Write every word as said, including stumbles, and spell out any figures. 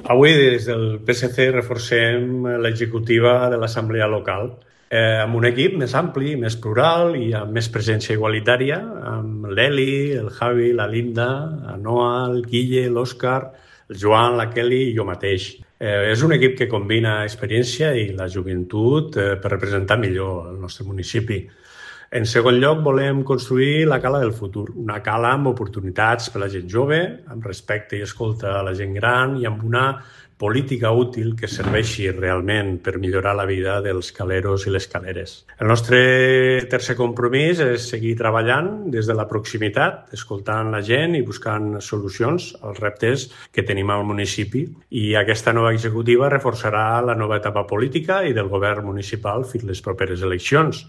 Avui, des del P S C, reforcem l'executiva de l'Assemblea Local eh, amb un equip més ampli, més plural i amb més presència igualitària, amb l'Eli, el Javi, la Linda, la Noa, el Guille, l'Òscar, el Joan, la Kelly i jo mateix. Eh, és un equip que combina experiència i la joventut eh, per representar millor el nostre municipi. En segon lloc, volem construir la cala del futur, una cala amb oportunitats per a la gent jove, amb respecte i escolta a la gent gran i amb una política útil que serveixi realment per millorar la vida dels caleros i les caleres. El nostre tercer compromís és seguir treballant des de la proximitat, escoltant la gent i buscant solucions als reptes que tenim al municipi. I aquesta nova executiva reforçarà la nova etapa política i del govern municipal fins les properes eleccions.